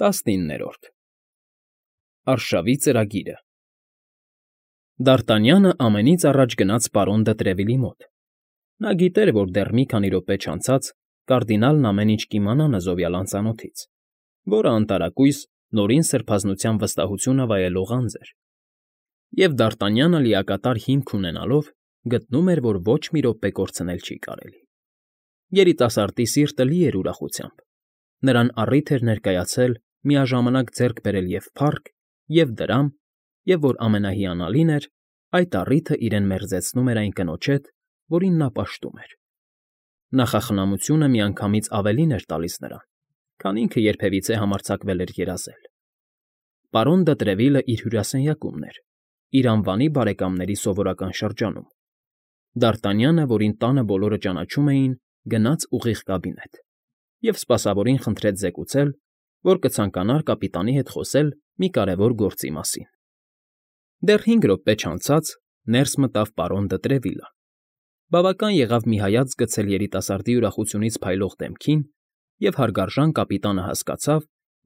19-րդ Արշավի ծրագիրը Դ'Արտանյանը ամենից առաջ գնաց պարոն դը Տրևիլի մոտ. նա գիտեր, որ դեռ մի քանի րոպե չանցած կարդինալն ամեն ինչ կիմանա նզովյալ անծանոթից, որը անտարակույս նորին սրբազնության վստահությունը վայելող անձ էր, և Դ'Արտանյանը լիակատար հիմք ունենալով գտնում էր, որ ոչ մի րոպե կորցնել չի կարելի։ Երիտասարդի սիրտը լի էր ուրախությամբ, նրան առիթ էր ներկայացել միաժամանակ ձեռք բերել և փառք, և դրամ, և, որ ամենահիանալին էր, այդ առիթը իրեն մերձեցնում էր այն կնոջ հետ, որին նա պաշտում էր։ Նախախնամությունը միանգամից ավելին էր տալիս նրան, քան ինքը երբևիցե համարձակվել էր երազել։ Պարոն դը Տրևիլը իր հյուրասենյակումն էր, իր անվանի բարեկամների սովորական շրջանում։ Դ'Արտանյանը, որին տանը բոլորը ճանաչում էին, գնաց ուղիղ կաբինետ և սպասավորին խնդրեց զեկուցել, որ կցանկանար կապիտանի հետ խոսել մի կարևոր գործի մասին։ Դեռ 5 րոպե չանցած ներս մտավ պարոն դը Տրևիլը։ Բավական եղավ մի հայացք գցել երիտասարդի ուրախությունից փայլող դեմքին, և հարգարժան կապիտանը հասկացավ,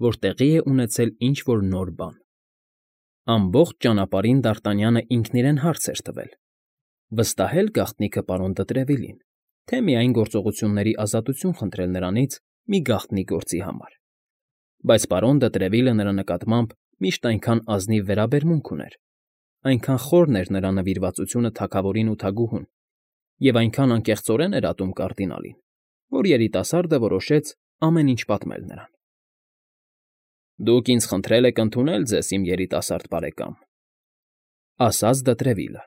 որ տեղի է ունեցել ինչ֊որ նոր բան։ Ամբողջ ճանապարհին Դ'Արտանյանը ինքն իրեն հարց էր տվել. վստահե՞լ գաղտնիքը պարոն դը Տրևիլին, թե միայն գործողությունների ազատություն խնդրել նրանից մի գաղտնի գործի համար։ Բայց պարոն դը Տրևիլը նրա նկատմամբ միշտ այնքան ազնիվ վերաբերմունք ուներ, այնքան խորն էր նրա նվիրվածությունը թագավորին ու թագուհուն, և այնքան անկեղծորեն էր ատում կարդինալին, որ երիտասարդը որոշեց ամեն ինչ պատմել նրան։ «Դուք ինձ խնդրել եք ընդունել ձեզ, իմ երիտասարդ բարեկամ», ասաց դը Տրևիլը։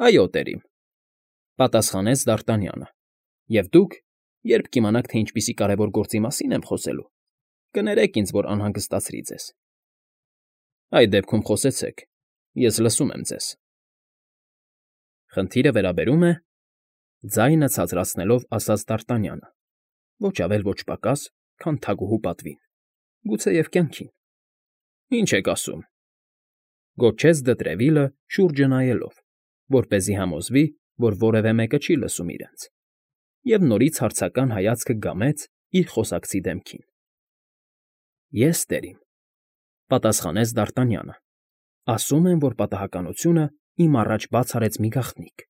«Այո, տերիմ», պատասխանեց Դ'Արտանյանը։ «Եվ դուք, երբ կիմանաք, թե ինչպիսի կարևոր գործի մասին եմ խոսելու, կներեք ինձ, որ անհանգստացրի ձեզ»։ «Այդ դեպքում խոսեցեք, ես լսում եմ ձեզ»։ «Խնդիրը վերաբերում է,֊ ձայնը ցածրացնելով ասաց Դ'Արտանյանը,֊ ոչ ավել ոչ պակաս, քան թագուհու պատվին, գուցեև կյանքին»։ «Ինչ եք ասում,֊ գոչեց դը Տրևիլը շուրջը նայելով, որպեսզի համոզվի, որ որևէ մեկը չի լսում իրենց, և նորից հարցական հայացքը գամեց իր խոսակցի դեմքին։ «Ես, տերիմ,֊ պատասխանեց Դ'Արտանյանը,֊ ասում եմ, որ պատահականությունը իմ առաջ բաց արեց մի գաղտնիք,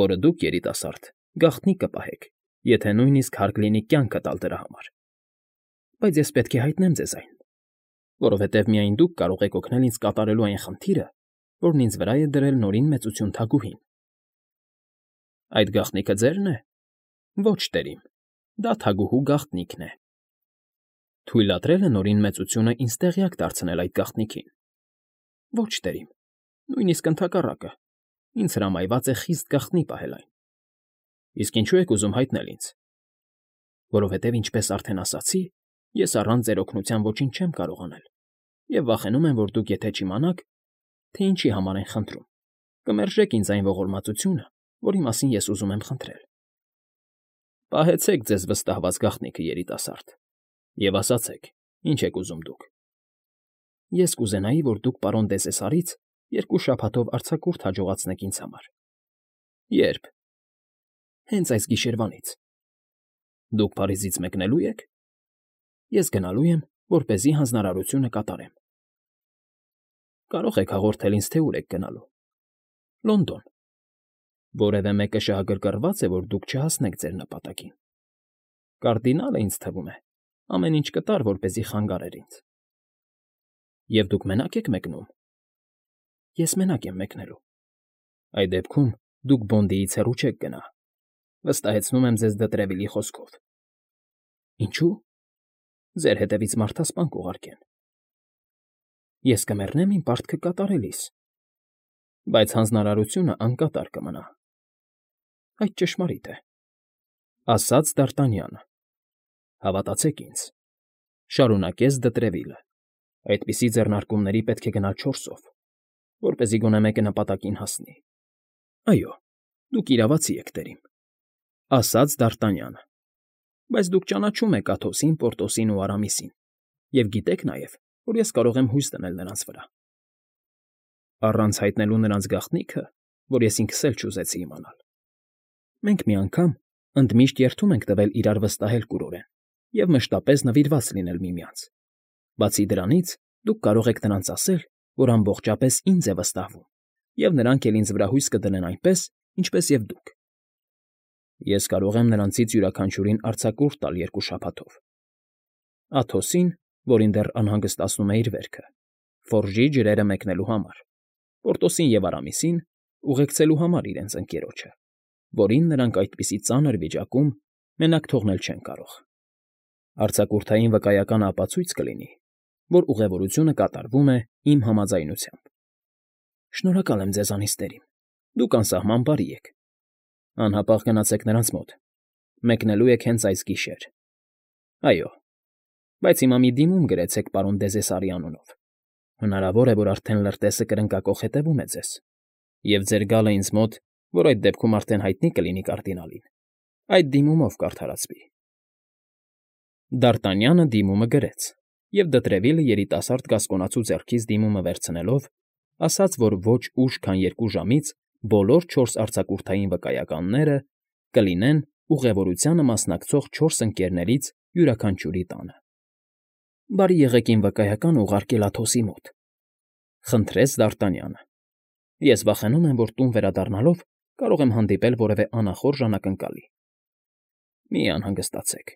որը դուք, երիտասարդ, գաղտնիք կպահեք, եթե նույնիսկ հարկ լինի կյանքը տալ դրա համար։ Բայց ես պետք է հայտնեմ ձեզ այն, որովհետև միայն դուք կարող եք օգնել ինձ կատարելու այն խնդիրը, որն ինձ վրա է դրել Նորին Մեծություն թագուհին»։ «Այդ գաղտնիքը ձե՞րն է»։ «Ոչ, տերիմ, դա թագուհու գաղտնիքն է»։ «Թույլատրել է Նորին Մեծությունը ինձ տեղյակ դարձնել այդ գաղտնիքին»։ «Ոչ, տերիմ, նույնիսկ ընդհակառակը, ինձ հրամայված է խիստ գաղտնի պահել այն»։ «Իսկ ինչո՞ւ եք ուզում հայտնել ինձ»։ «Որովհետև, ինչպես արդեն ասացի, ես առանց ձեր օգնության ոչինչ չեմ կարող անել, և վախենում եմ, որ դուք, եթե չիմանաք, թե ինչի համար են խնդրում, կմերժեք ինձ այն ողորմածությունը, որի մասին ես ուզում եմ խնդրել»։ «Պահեցեք ձեզ վստահված գաղտնիքը, երիտասարդ, և ասացեք, ինչ եք ուզում դուք»։ «Ես կուզենայի, որ դուք պարոն Դեսեսարից 2 շաբաթով արձակուրդ հաջողացնեք ինձ համար»։ «Ե՞րբ»։ «Հենց այս գիշերվանից»։ «Դուք Փարիզից մեկնելո՞ւ եք»։ «Ես գնալու եմ, որպեսզի հանձնարարությունը կատարեմ»։ «Կարող եք հաղորդել ինձ, թե ուր եք գնալու»։ «Լոնդոն»։ «Որևէ մեկը շահագրգռված է, որ դուք չհասնեք ձեր նպատակին»։ «Կարդինալը, ինձ թվում է, ամեն ինչ կտար, որպեսզի խանգարեր ինձ»։ «Եվ դուք մենակ եք մեկնում»։ «Ես մենակ եմ մեկնելու»։ «Այդ դեպքում դուք Բոնդիից հեռու չեք գնա, վստահեցնում եմ ձեզ դը Տրևիլի խոսքով»։ «Ինչո՞ւ»։ «Ձեր հետևից մարդասպան կուղարկեն»։ «Ես կմեռնեմ իմ պարտքը կատարելիս»։ «Բայց հանձնարարությունը անկատար կմնա»։ «Այդ ճշմարիտ է», ասաց Դ'Արտանյանը։ «Հավատացեք ինձ,֊ շարունակեց դը Տրևիլը,֊ այդպիսի ձեռնարկումների պետք է գնալ 4-ով, որպեսզի գոնե մեկը նպատակին հասնի»։ «Այո, դուք իրավացի եք, տերիմ», ասաց Դ'Արտանյանը։ «Բայց դուք ճանաչում եք Աթոսին, Պորտոսին ու Արամիսին, և գիտեք նաև, որ ես կարող եմ հույս դնել նրանց վրա»։ «Առանց հայտնելու նրանց գաղտնիքը, որ ես ինքս էլ չուզեցի իմանալ»։ «Մենք մի անգամ ընդմիշտ երդում ենք տվել իրար վստահել կուրորեն և մշտապես նվիրված լինել միմյանց, Բացի դրանից, դուք կարող եք նրանց ասել, որ ամբողջապես ինձ է վստահվում, և նրանք էլ ինձ վրա հույս կդնեն այնպես, ինչպես և դուք։ Ես կարող եմ նրանցից յուրաքանչյուրին արձակուրդ տալ 2 շաբաթով։ Աթոսին, որին դեռ անհանգստացնում է իր վերքը, Ֆորժի ջրերը մեկնելու համար, Պորտոսին և Արամիսին ուղեկցելու համար իրենց ընկերոջը, որին նրանք այդպիսի ծանր վիճակում մենակ թողնել չեն կարող։ Արձակուրդային վկայականը ապացույց կլինի, որ ուղևորությունը կատարվում է իմ համաձայնությամբ։ Շնորհակալ եմ ձեզանից, տերիմ, դուք անսահման բարի եք։ Անհապաղ գնացեք նրանց մոտ։ Մեկնելու եք հենց այս գիշեր։ Այո, բայց հիմա մի դիմում գրեցեք պարոն Դեզեսարի անունով։ Հնարավոր է, որ արդեն լրտեսը կրնկակոխ հետևում է ձեզ, և ձեր գալը ինձ մոտ, որ այդ դեպքում արդեն հայտնի կլինի կարդինալին, այդ դիմումով կարդարացվի։ Դ'Արտանյանը դիմումը գրեց, և Դտրևիլը երիտասարդ գասկոնացու ձեռքից դիմումը վերցնելով, ասաց, որ ոչ ուշ, քան 2 ժամից բոլոր 4 արձակուրդային վկայականները կլինեն ուղևորությանը մասնակցող 4 ընկերներից յուրաքանչյուրի տանը։ Բարի եղեք իմ վկայականը ուղարկել Աթոսի մոտ, խնդրեց Դ'Արտանյանը։ Ես վախենում եմ, որ տուն վերադառնալով կարող եմ հանդիպել որևէ անախորժ անակնկալի։ Մի անհանգստացեք։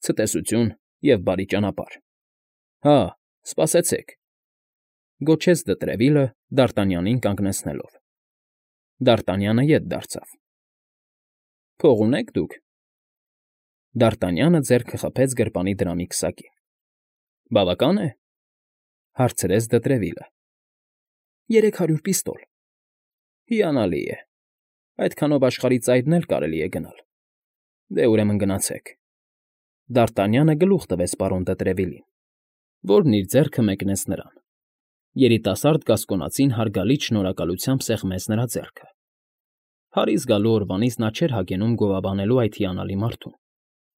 Ցտեսություն և բարի ճանապարհ։ Հա, սպասեցեք, գոչեց Դտրևիլը Դ'Արտանյանին կանգնեցնելով։ Դ'Արտանյանը ետ դարձավ։ Փող ունե՞ք դուք։ Դ'Արտանյանը ձեռքը խփեց գրպանի դրամի քսակին։ Բավական է, հարցրեց Դտրևիլը։ 300 պիստոլ։ Հիանալի է։ Այդքանով աշխարհի ծայրն էլ կարելի է գնալ։ Դե ուրեմն գնացեք։ Դ'Արտանյանը գլուխ տվեց պարոն Դտրևիլին, որն իր ձեռքը մեկնեց նրան։ Երիտասարդ գասկոնացին հարգալից շնորհակալությամբ սեղմեց նրա ձեռքը։ Փարիզ գալու օրվանից նա չէր հագենում գովաբանելու այդ հիանալի մարդուն,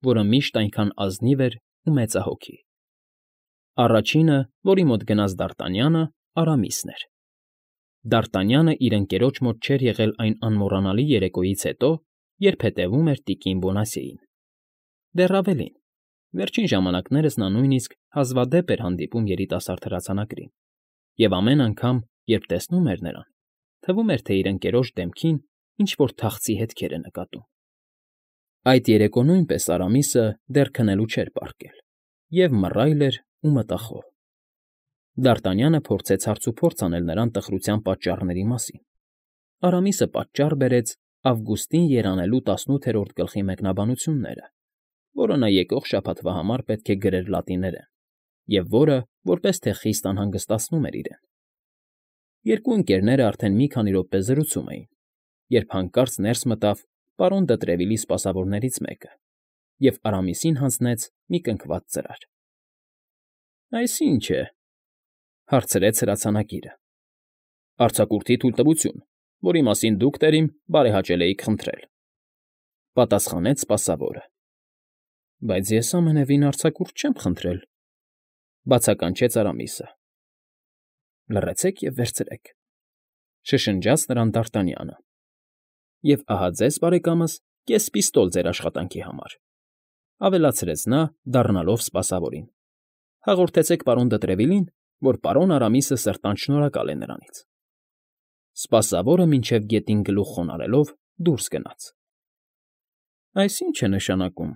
որը միշտ այնքան ազնիվ էր ու մեծահոգի։ Առաջինը, որի մոտ գնաց Դ'Արտանյանը, Արամիսն էր։ Դ'Արտանյանը իր ընկերոջ մոտ չէր եղել այն անմոռանալի երեկոյից հետո, երբ հետևում էր տիկին Բոնասիեին։ Դեռ ավելին, վերջին ժամանակներս նա նույնիսկ հազվադեպ էր հանդիպում երիտասարդ հրացանակրին, և ամեն անգամ, երբ տեսնում էր նրան, թվում էր, թե իր ընկերոջ դեմքին ինչ֊որ թախծի հետքեր է նկատում։ Այդ երեկո նույնպես Արամիսը դեռ քնելու չէր պառկել, և մռայլ էր ու մտախոհ։ Դ'Արտանյանը փորձեց հարցուփորձ անել նրան տխրության պատճառների մասին։ Արամիսը պատճառ բերեց Ավգուստին երանելու 18-րդ գլխի մեկնաբանությունները, որը նա եկող շաբաթվա համար պետք է գրեր լատիներեն, և որը որպես թե խիստ անհանգստացնում էր իրեն։ Երկու ընկերները արդեն մի քանի րոպե զրուցում էին, երբ հանկարծ ներս մտավ պարոն Դտրևիլի սպասավորներից մեկը և Արամիսին հանձնեց մի կնքված ծրար։ Այս ի՞նչ է,֊ հարցրեց հրացանակիրը։ Արձակուրդի թույլտվություն, որի մասին դուք, տերիմ, բարեհաճել էիք խնդրել,֊ պատասխանեց սպասավորը։ Բայց ես ամենևին արձակուրդ չեմ խնդրել,֊ բացականչեց Արամիսը։ Լռեցեք և վերցրեք,֊ շշնջաց նրան Դ'Արտանյանը։ Եվ ահա ձեզ, բարեկամս, կես պիստոլ ձեր աշխատանքի համար,֊ ավելացրեց նա, դառնալով սպասավորին։ Հաղորդեցեք պարոն Դտրևիլին, որ պարոն Արամիսը սրտանց շնորհակալ է նրանից։ Սպասավորը մինչև գետին գլուխ խոնարհելով դուրս գնաց։ Այս ի՞նչ է նշանակում,֊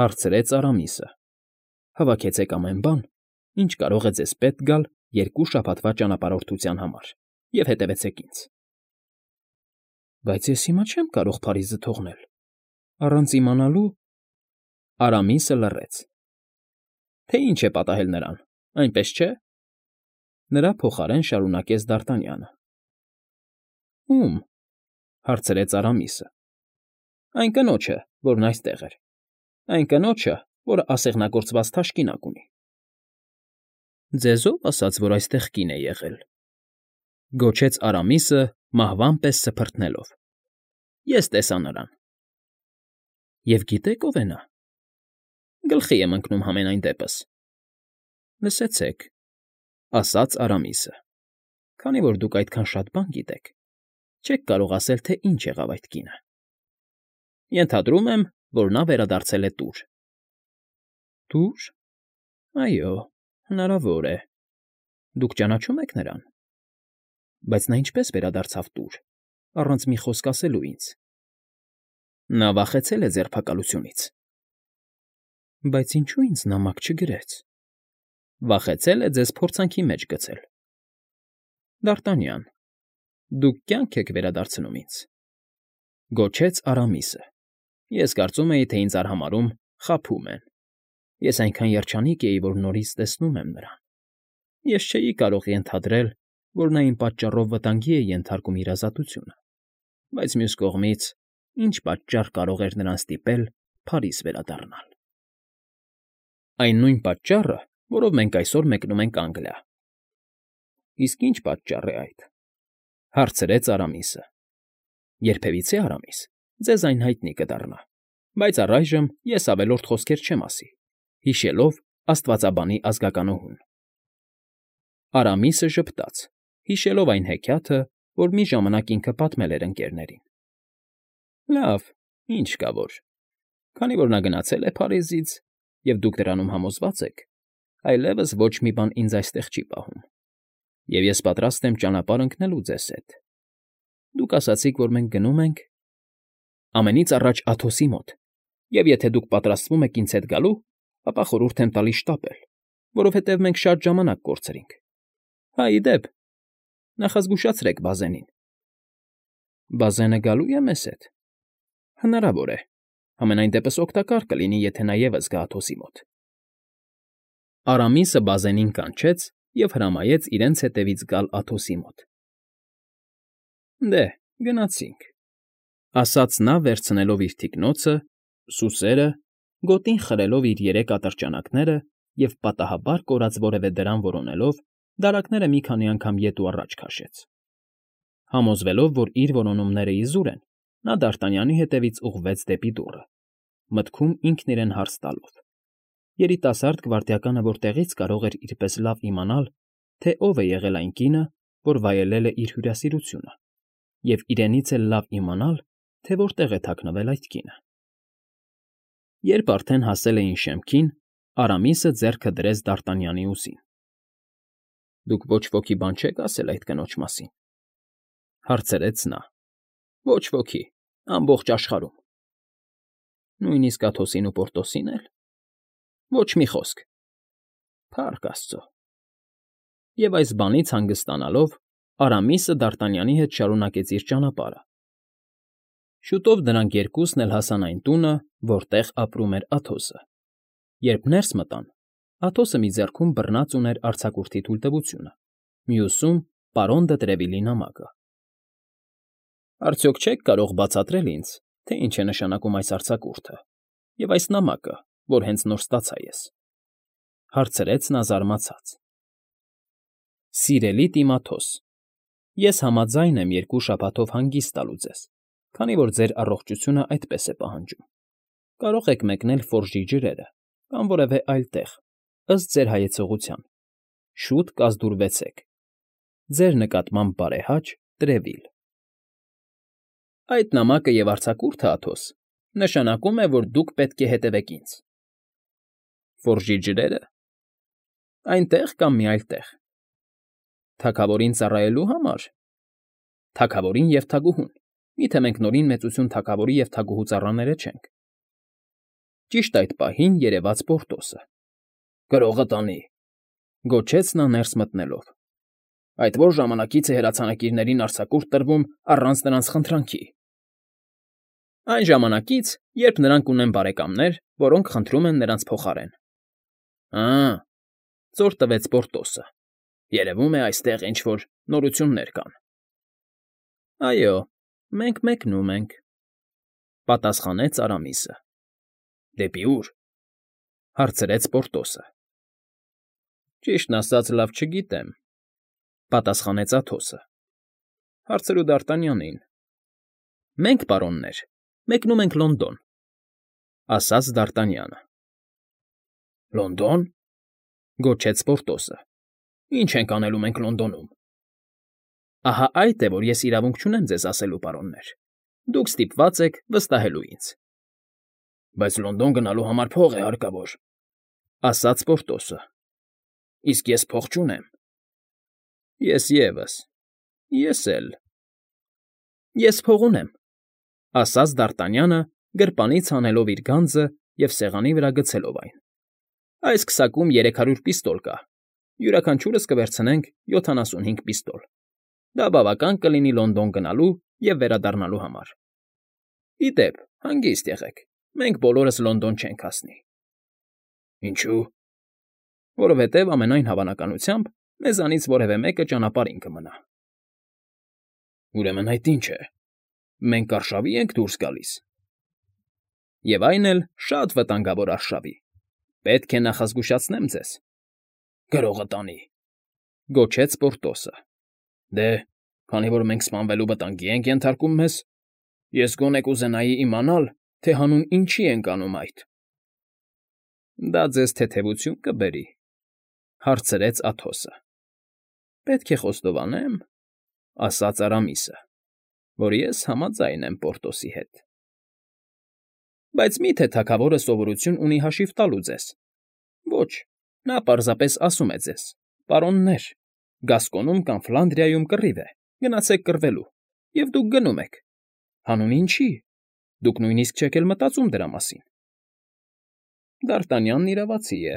հարցրեց Արամիսը։ Հավաքեցեք ամեն բան, ինչ կարող է ձեզ պետք գալ 2 շաբաթվա ճանապարհորդության համար, և հետևեցեք ինձ։ Բայց ես հիմա չեմ կարող Փարիզը թողնել, առանց իմանալու… Արամիսը լռեց։ Թե ինչ է պատահել նրան, այնպես չէ՞։ Նրա փոխարեն շարունակեց Դ'Արտանյանը։ Ո՞ւմ,֊ հարցրեց Արամիսը։ Այն կնոջը, որն այստեղ էր, այն կնոջը, որը ասեղնագործված թաշկինակ ունի։ Ձեզ ո՞վ ասաց, որ այստեղ կին է եղել,֊ գոչեց Արամիսը մահվան պես սփռտնելով։ Ես տեսա նրան։ Եվ գիտե՞ք ով է նա։ Գլխի եմ ընկնում համենայն դեպս։ Լսեցեք,֊ ասաց Արամիսը, քանի որ դուք այդքան շատ բան գիտեք, չեք կարող ասել, թե ինչ եղավ այդ կինը։ Ենթադրում եմ, որ նա վերադարձել է տուր։ Տուր։ Այո, հնարավոր է։ Դուք ճանաչում եք նրան։ Բայց նա ինչպես վերադարձավ տուր, առանց մի խոսք ասելու ինձ։ Նա վախեցել է ձերբակալությունից։ Բայց ինչու ինձ նամակ չգրեց։ Վախեցել է ձեզ փորձանքի մեջ գցել։ Դ'Արտանյան, դուք կյանք եք վերադարձնում ինձ, գոչեց Արամիսը։ Ես կարծում էի, թե ինձ արհամարհում խաբում են։ Ես այնքան երջանիկ էի, որ նորից տեսնում եմ նրան։ Ես չէի կարող ենթադրել, որ նա իմ պատճառով վտանգի է ենթարկում իր ազատությունը, բայց մյուս կողմից, ինչ պատճառ կարող էր նրան ստիպել Փարիզ վերադառնալ։ Այն նույն պատճառը, որով մենք այսօր մեկնում ենք Անգլիա։ Իսկ ինչ պատճառ է այդ, հարցրեց Արամիսը։ Երբևիցե, Արամիս, ձեզ այն հայտնի կդառնա, բայց առայժմ ես ավելորդ խոսքեր չեմ ասի, հիշելով աստվածաբանի ազգականուհուն։ Արամիսը ժպտաց, հիշելով այն հեքիաթը, որ մի ժամանակ ինքը պատմել էր ընկերներին։ Լավ, ինչ կա որ։ Քանի որ նա գնացել է Փարիզից, և դուք դրանում համոզված եք, այլևս ոչ մի բան ինձ այստեղ չի պահում, և ես պատրաստ եմ ճանապարհ ընկնելու ձեզ հետ։ Դուք ասացիք, որ մենք գնում ենք ամենից առաջ Աթոսի մոտ, և եթե դուք պատրաստվում եք ինձ հետ գալու, ապա խորհուրդ եմ տալիս շտապել, որովհետև մենք շատ ժամանակ կորցրինք։ Հա, ի դեպ, նախազգուշացրեք Բազենին։ Բազենը գալու է մեզ հետ։ Հնարավոր է։ Համենայն դեպս օգտակար կլինի, եթե նա ևս գա Աթոսի մոտ։ Արամիսը Բազենին կանչեց և հրամայեց իրենց հետևից գալ Աթոսի մոտ։ Դե, գնացինք, ասաց նա, վերցնելով իր թիկնոցը, սուսերը, գոտին խրելով իր երեք ատրճանակները և պատահաբար կորած որևէ դրամ որոնելով, դարակները մի քանի անգամ ետ ու առաջ քաշեց։ Համոզվելով, որ իր որոնումները իզուր են, նա Դ'Արտանյանի հետևից ուղղվեց դեպի դուռը, մտքում ինքն իրեն հարց տալով. երիտասարդ գվարդիականը որտեղից կարող էր իրպես լավ իմանալ, թե ով է եղել այն կինը, որ վայելել է իր հյուրասիրությունը, և իրենից էլ լավ իմանալ, թե որտեղ է թաքնվել այդ կինը։ Երբ արդեն հասել էին շեմքին, Արամիսը ձեռքը դրեց Դ'Արտանյանի ուսին։ Դուք ոչ ոքի բան չեք ասել այդ կնոջ մասին, հարցրեց նա։ Ոչ ոքի, ամբողջ աշխարհում։ Նույնիսկ Աթոսին ու Պորտոսին էլ։ Ոչ մի խոսք։ Փառք Աստծո։ Եվ այս բանից հանգստանալով, Արամիսը Դ'Արտանյանի հետ շարունակեց իր ճանապարհը։ Շուտով դրանք երկուսն էլ հասան այն տունը, որտեղ ապրում էր Աթոսը։ Երբ ներս մտան, Աթոսը մի ձեռքում բռնած ուներ արձակուրդի թույլտվությունը, մյուսում պարոն դը Տրևիլի նամակը։ Արդյոք չեք կարող բացատրել ինձ, թե ինչ է նշանակում այս արձակուրդը և այս նամակը, որ հենց նոր ստացա ես, հարցրեց նա զարմացած։ Սիրելի Տիմաթոս, ես համաձայն եմ 2 շաբաթով հանգիստ տալու ձեզ, քանի որ ձեր առողջությունը այդպես է պահանջում։ Կարող եք մեկնել Ֆորժի ջրերը կամ որևէ այլ տեղ, ըստ ձեր հայեցողության։ Շուտ կազդուրվեցեք։ Ձեր նկատմամբ բարեհաճ Տրևիլ։ Այդ նամակը և արձակուրդը, Աթոս, նշանակում է, որ դուք պետք է հետևեք ինձ։ Ֆորժի ջրերը։ Այնտեղ կամ մի այլ տեղ։ Թագավորին ծառայելու համար։ Թագավորին և թագուհուն։ Միթե մենք նորին մեծություն թագավորի և թագուհու ծառաները չենք։ Ճիշտ այդ պահին երևաց Պորտոսը։ Գրողը տանի, գոչեց նա ներս մտնելով։ Այդ որ ժամանակից է հրացանակիրներին արձակուրդ տրվում առանց նրանց խնդրանքի։ Այն ժամանակից, երբ նրանք ունեն բարեկամներ, որոնք խնդրում են նրանց փոխարեն։ Ծոր տվեց Պորտոսը։ Երևում է այստեղ ինչ֊որ նորություններ կան։ Այո, մենք մեկնում ենք, պատասխանեց Արամիսը։ Դեպի ուր, հարցրեց Պորտոսը։ Ճիշտն ասած, լավ չգիտեմ, պատասխանեց Աթոսը։ Հարցրու Դ'Արտանյանին։ Մենք, պարոններ, մեկնում ենք Լոնդոն, ասաց Դ'Արտանյանը։ Լոնդոն, գոչեց Պորտոսը։ Ինչ ենք անելու մենք Լոնդոնում։ Ահա այդ է, որ ես իրավունք չունեմ ձեզ ասելու, պարոններ։ Դուք ստիպված եք վստահելու ինձ։ Բայց Լոնդոն գնալու համար փող է հարկավոր, ասաց Պորտոսը։ Իսկ ես փող չունեմ։ Ես ևս։ Ես էլ։ Ես փող ունեմ, ասաց Դարտանյանը, գրպանից հանելով իր գանձը և սեղանի վրա գցելով այն։ Այս քսակում 300 պիստոլ կա։ Յուրաքանչյուրս կվերցնենք 75 պիստոլ։ Դա բավական կլինի Լոնդոն գնալու և վերադառնալու համար։ Ի դեպ, հանգիստ եղեք, մենք բոլորս Լոնդոն չենք հասնի։ Ինչու՞։ Որովհետև ամենայն հավանականությամբ մեզանից որևէ մեկը ճանապարհին կմնա։ Ուրեմն այդ ի՞նչ է։ Մենք արշավի ենք դուրս գալիս։ Եվ այն էլ շատ վտանգավոր արշավի։ Պետք է նախազգուշացնեմ ձեզ։ Գրողը տանի, գոչեց Պորտոսը։ Դե, քանի որ մենք սպանվելու վտանգի ենք ենթարկում մեզ, ես գոնե կուզենայի իմանալ, թե հանուն ինչի ենք անում այդ։ Դա ձեզ թեթևություն կբերի, հարցրեց Աթոսը։ Պետք է խոստովանեմ, ասաց Արամիսը, որ ես համաձայն եմ Պորտոսի հետ։ Բայց մի՞թե թագավորը սովորություն ունի հաշիվ տալու ձեզ։ Ոչ, նա պարզապես ասում է ձեզ. պարոններ, Գասկոնում կամ Ֆլանդրիայում կռիվ է, գնացեք կռվելու, և դուք գնում եք։ Հանուն ինչի։ Դուք նույնիսկ չեք էլ մտածում դրա մասին։ Դարտանյանն իրավացի է,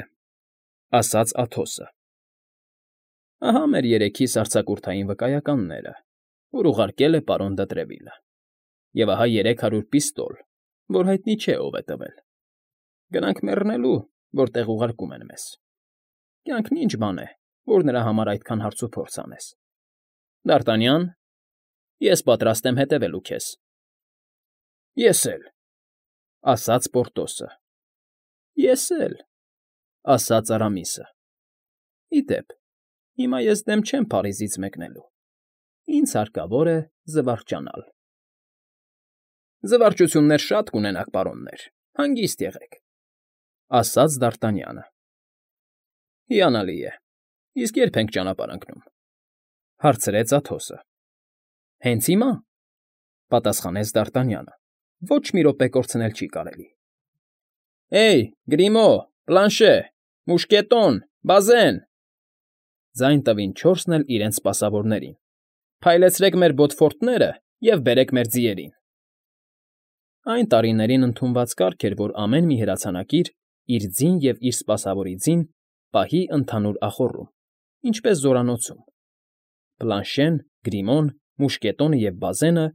ասաց Աթոսը։ Ահա մեր երեքի սարձակուրդային վկայականները, որ ուղարկել է պարոն Դտրևիլը։ Եվ ահա 300 պիստոլ, որ հայտնի չէ ով է տվել։ Գնանք մեռնելու, որտեղ ուղարկում են մեզ։ Կյանքն ինչ բան է, որ նրա համար այդքան հարցուփորձ անես։ Դարտանյան, ես պատրաստ եմ հետևելու քեզ։ Ես էլ, ասաց Պորտոսը։ Ես էլ, ասաց Արամիսը։ Ի դեպ, հիմա ես դեմ չեմ Փարիզից մեկնելու։ Ինձ հարկավոր է զվարճանալ։ Զվարճություններ շատ կունենաք, պարոններ, հանգիստ եղեք, ասաց Դարտանյանը։ Հիանալի է, իսկ երբ ենք ճանապարհ ընկնում, հարցրեց Աթոսը։ Հենց հիմա, պատասխանեց Դարտանյանը, ոչ մի րոպե կորցնել չի կարելի։ Էյ, Գրիմո, Պլանշե, Մուշկետոն, Բազեն, ձայն տվին չորսն էլ իրենց սպասավորներին։ Փայլեցրեք մեր բոթֆորտները և բերեք մեր ձիերին։ Այն տարիներին ընդունված կարգ էր, որ ամեն մի հրացանակիր իր ձին և իր սպասավորի ձին պահի ընդհանուր ախոռում, ինչպես զորանոցում։ Պլանշեն, Գրիմոն, Մուշկետոնը և Բազենը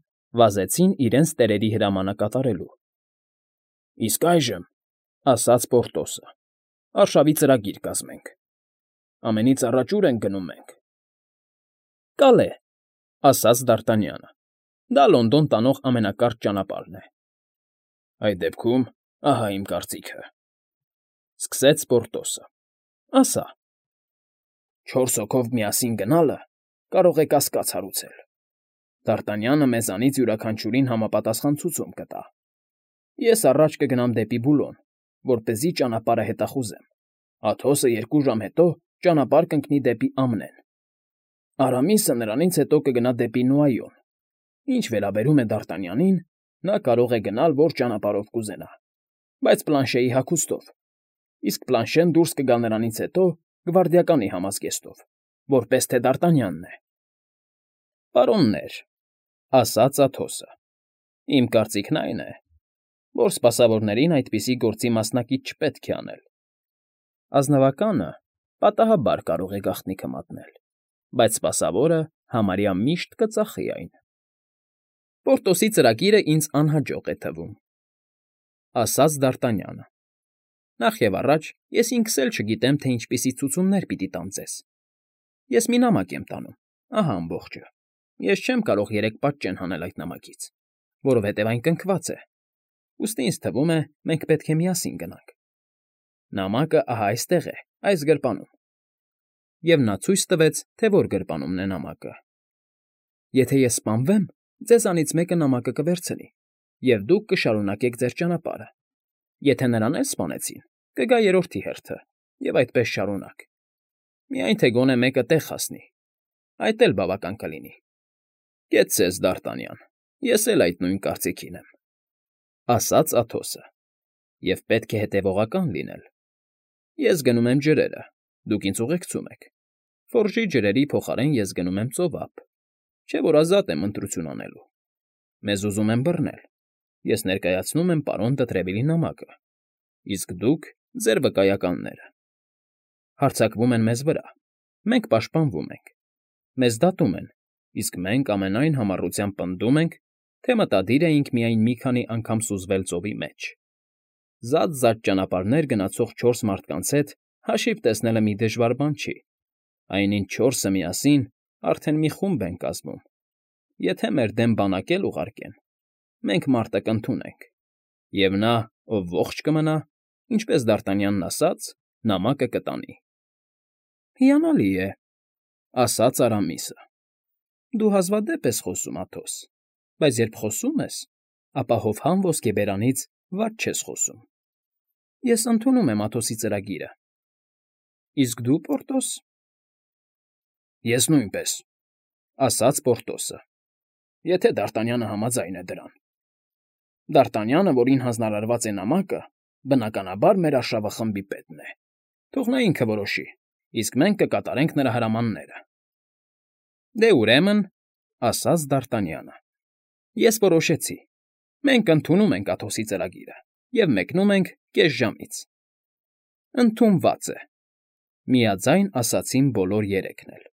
վազեցին իրենց տերերի հրամանը կատարելու։ Իսկ այժմ, ասաց Պորտոսը, արշավի ծրագիր կազմենք։ Ամենից առաջ ուր ենք գնում մենք։ Կալե, ասաց Դարտանյանը։ Դա Լոնդոն տանող ամենակարճ ճանապարհն է։ Այդ դեպքում, ահա իմ կարծիքը, սկսեց Պորտոսը։ Ասա։ 4 հոգով միասին գնալը կարող է կասկած հարուցել։ Դարտանյանը մեզանից յուրաքանչյուրին համապատասխան ցուցում կտա։ Ես առաջ կգնամ դեպի Բուլոն, որպեսզի ճանապարհը հետախուզեմ։ Աթոսը 2 ժամ հետո ճանապարհ կընկնի դեպի Ամնեն։ Արամիսը նրանից հետո կգնա դեպի Նուայոն։ Ինչ վերաբերում է Դարտանյանին, նա կարող է գնալ որ ճանապարհով կուզենա, բայց Պլանշեի հագուստով, իսկ Պլանշեն դուրս կգա նրանից հետո գվարդիականի համազգեստով, որպես թե Դարտանյանն է։ Պարոններ, ասաց Աթոսը, իմ կարծիքն այն է, որ սպասավորներին այդպիսի գործի մասնակից չպետք է անել։ Ազնվականը պատահաբար կարող է գաղտնիքը մատնել, բայց սպասավորը համարյա միշտ կծախի այն։ Պորտոսի ծրագիրը ինձ անհաջող է թվում, ասաց Դարտանյանը։ Նախ և առաջ ես ինքս էլ չգիտեմ, թե ինչպիսի ցուցումներ պիտի տամ ձեզ։ Ես մի նամակ եմ տանում, ահա ամբողջը։ Ես չեմ կարող 3 պատճեն հանել այդ նամակից, որովհետև այն կնքված է։ Ուստի ինձ թվում է, մենք պետք է միասին գնանք։ Նամակը ահա այստեղ է, այս գրպանում։ Եվ նա ցույց տվեց, թե որ գրպանումն է նամակը։ Եթե ես սպանվեմ, ձեզանից մեկը նամակը կվերցնի, և դուք կշարունակեք ձեր ճանապարհը։ Եթե նրան էլ սպանեցին, կգա երրորդի հերթը, և այդպես շարունակ։ Միայն թե գոնե մեկը տեղ հասնի, այդ էլ բավական կլինի։ Կեցցես, Դարտանյան, ես էլ այդ նույն կարծիքին եմ, ասաց Աթոսը, և պետք է հետևողական լինել։ Ես գնում եմ ջրերը, դուք ինձ ուղեկցում եք։ Ֆորժի ջրերի փոխարեն ես գնում եմ ծովափ, չէ՞ որ ազատ եմ ընտրություն անելու։ Մեզ ուզում են բռնել։ Ես ներկայացնում եմ պարոն Տրևիլի նամակը, իսկ դուք ձեր վկայականները։ Հարձակվում են մեզ վրա, մենք պաշտպանվում ենք։ Մեզ դատում են, իսկ մենք ամենայն համառությամբ պնդում ենք, թե մտադիր էինք միայն մի քանի անգամ սուզվել ծովի մեջ։ Զատ ճանապարհներ գնացող 4 մարդկանց հետ հաշիվ տեսնելը մի դժվար բան չի, այնինչ 4-ը միասին արդեն մի խումբ են կազմում։ Եթե մեր դեմ բանակ էլ ուղարկեն, մենք մարտը կընդունենք, և նա, ով ողջ կմնա, ինչպես Դ'Արտանյանն ասաց, նամակը կտանի։ ֊ Հիանալի է,֊ ասաց Արամիսը։ Դու հազվադեպ ես խոսում, Աթոս, բայց երբ խոսում ես, ապա հովհան ոսկեբերանից վատ չես խոսում։ Ես ընդունում եմ Աթոսի ծրագիրը։ Իսկ դու, Պորտոս։ Ես նույնպես,֊ ասաց Պորտոսը, եթե Դ'Արտանյանը համաձայն է դրան։ Դ'Արտանյանը, որին հանձնարարված է նամակը, բնականաբար մեր արշավախմբի պետն է։ Թող նա ինքը որոշի, իսկ մենք կկատարենք նրա հրամանները։ Դե ուրեմն,֊ ասաց Դ'Արտանյանը,֊ ես որոշեցի։ Մենք ընդունում ենք Աթոսի ծրագիրը և մեկնում ենք կես ժամից։ Ընդունված է,֊ միաձայն ասացին բոլոր երեքն էլ։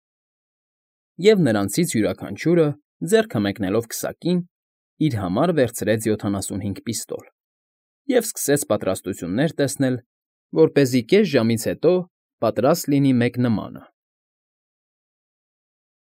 Եվ նրանցից յուրաքանչյուրը, ձեռքը մեկնելով քսակին, իր համար վերցրեց 75 պիստոլ և սկսեց պատրաստություններ տեսնել, որպեսզի կես ժամից հետո պատրաստ լինի մեկ նմանը։